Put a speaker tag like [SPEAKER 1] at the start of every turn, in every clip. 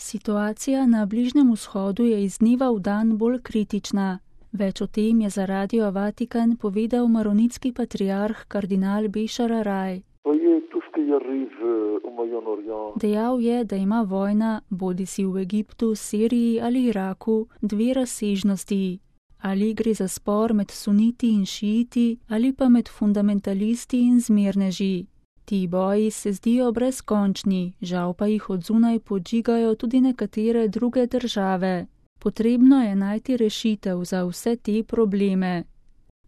[SPEAKER 1] Situacija na Bližnjem vzhodu je iz dneva v dan bolj kritična. Več o tem je za Radio Vatikan povedal maronitski patriarh kardinal Bešar Araj. Dejal je, da ima vojna, bodisi v Egiptu, Siriji ali Iraku, dve razsežnosti. Ali gre za spor med suniti in šiiti, ali pa med fundamentalisti in zmerneži. Ti boji se zdijo brezkončni, žal pa jih od zunaj podžigajo tudi nekatere druge države. Potrebno je najti rešitev za vse te probleme.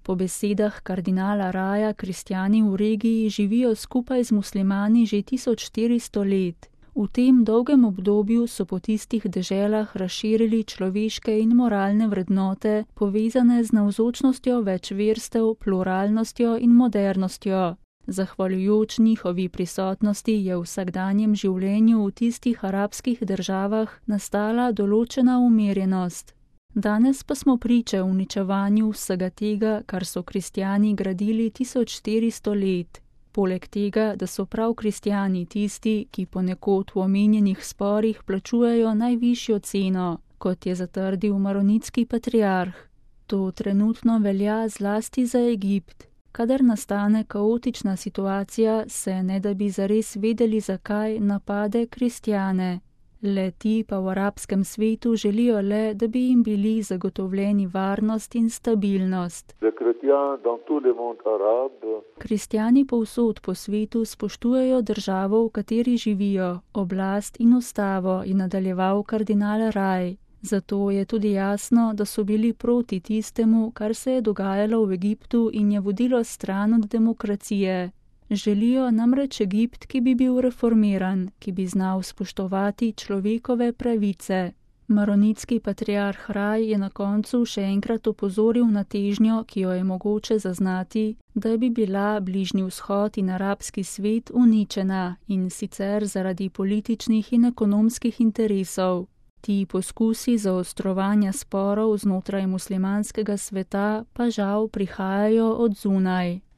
[SPEAKER 1] Po besedah kardinala Raja kristjani v regiji živijo skupaj z muslimani že 1400 let. V tem dolgem obdobju so po tistih deželah razširili človeške in moralne vrednote, povezane z navzočnostjo več verstev, pluralnostjo in modernostjo. Zahvaljujoč njihovi prisotnosti je v vsakdanjem življenju v tistih arabskih državah nastala določena umirjenost. Danes pa smo priče uničevanju vsega tega, kar so kristjani gradili 1400 let. Poleg tega, da so prav kristjani tisti, ki ponekod v omenjenih sporih plačujejo najvišjo ceno, kot je zatrdil maronitski patriarh. To trenutno velja zlasti za Egipt. Kadar nastane kaotična situacija, se ne da bi zares vedeli, zakaj napade kristjane. Le ti pa v arabskem svetu želijo le, da bi jim bili zagotovljeni varnost in stabilnost. Kristjani povsod po svetu spoštujejo državo, v kateri živijo, oblast in ustavo, je nadaljeval kardinal Raj. Zato je tudi jasno, da so bili proti tistemu, kar se je dogajalo v Egiptu in je vodilo stran od demokracije. Želijo namreč Egipt, ki bi bil reformiran, ki bi znal spoštovati človekove pravice. Maronitski patriarh Raj je na koncu še enkrat opozoril na težnjo, ki jo je mogoče zaznati, da bi bila Bližnji vzhod in arabski svet uničena, in sicer zaradi političnih in ekonomskih interesov. Ti poskusi zaostrovanja sporov znotraj muslimanskega sveta pa žal prihajajo od zunaj.